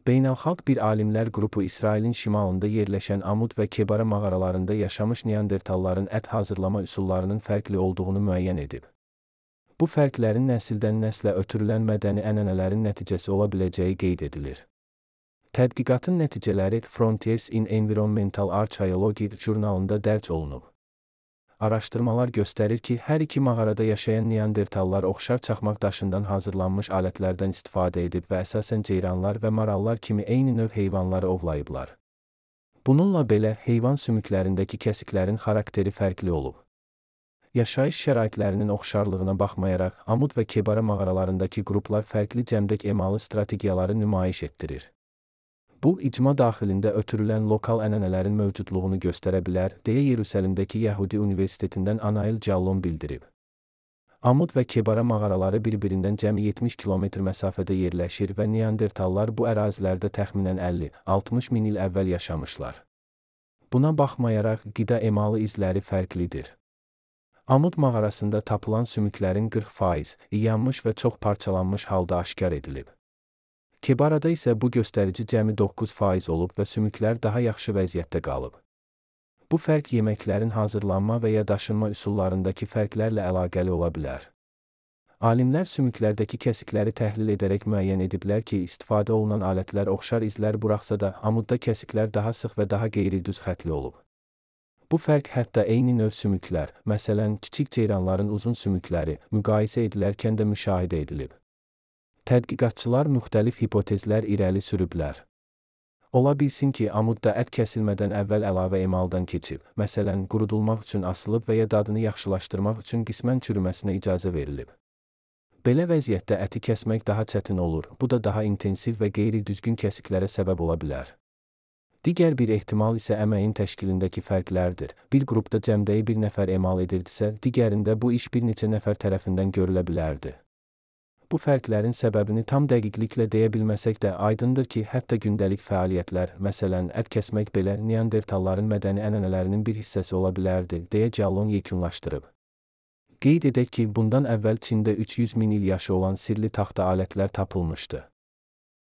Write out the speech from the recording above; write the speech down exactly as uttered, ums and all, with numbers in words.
Beynəlxalq bir alimlər qrupu İsrailin şimalında yerləşən Amud və Kebara mağaralarında yaşamış Neandertalların ət hazırlama üsullarının fərqli olduğunu müəyyən edib. Bu fərqlərin nəsildən nəslə ötürülən mədəni ənənələrin nəticəsi ola biləcəyi qeyd edilir. Tədqiqatın nəticələri Frontiers in Environmental Archaeology jurnalında dərc olunub. Araşdırmalar göstərir ki, hər iki mağarada yaşayan Neandertallar oxşar çaxmaq daşından hazırlanmış alətlərdən istifadə edib və əsasən ceyranlar və marallar kimi eyni növ heyvanları ovlayıblar. Bununla belə, heyvan sümüklərindəki kəsiklərin xarakteri fərqli olub. Yaşayış şəraitlərinin oxşarlığına baxmayaraq, Amud və Kebara mağaralarındakı qruplar fərqli cəmdək emalı strategiyaları nümayiş etdirir. Bu, icma daxilində ötürülən lokal ənənələrin mövcudluğunu göstərə bilər, deyə Yerusəlimdəki Yəhudi Universitetindən Anail Callon bildirib. Amud və Kebara mağaraları bir-birindən cəmi yetmiş kilometr məsafədə yerləşir və Neandertallar bu ərazilərdə təxminən əlli altmış min il əvvəl yaşamışlar. Buna baxmayaraq, qida emalı izləri fərqlidir. Amud mağarasında tapılan sümüklərin qırx faiz yanmış və çox parçalanmış halda aşkar edilib. Kebarada isə bu göstərici cəmi doqquz faiz olub və sümüklər daha yaxşı vəziyyətdə qalıb. Bu fərq yeməklərin hazırlanma və ya daşınma üsullarındakı fərqlərlə əlaqəli ola bilər. Alimlər sümüklərdəki kəsikləri təhlil edərək müəyyən ediblər ki, istifadə olunan alətlər oxşar izlər buraxsa da, Amudda kəsiklər daha sıx və daha qeyri-düz xətli olub. Bu fərq hətta eyni növ sümüklər, məsələn, kiçik ceyranların uzun sümükləri, müqayisə edilərkən də müşahidə edilib. Tədqiqatçılar müxtəlif hipotezlər irəli sürüblər. Ola bilsin ki, Amudda ət kəsilmədən əvvəl əlavə emaldan keçib, məsələn, qurudulmaq üçün asılıb və ya dadını yaxşılaşdırmaq üçün qismən çürüməsinə icazə verilib. Belə vəziyyətdə əti kəsmək daha çətin olur, bu da daha intensiv və qeyri-düzgün kəsiklərə səbəb ola bilər. Digər bir ehtimal isə əməyin təşkilindəki fərqlərdir. Bir qrupda cəmdəyi bir nəfər emal edirdisə, digərində bu iş bir neçə nəfər tərəfindən görülə bilərdi. Bu fərqlərin səbəbini tam dəqiqliklə deyə bilməsək də aydındır ki, hətta gündəlik fəaliyyətlər, məsələn, ət kəsmək belə Neandertalların mədəni ənənələrinin bir hissəsi ola bilərdi, deyə Callon yekunlaşdırıb. Qeyd edək ki, bundan əvvəl Çində üç yüz min il yaşı olan sirli taxta alətlər tapılmışdı.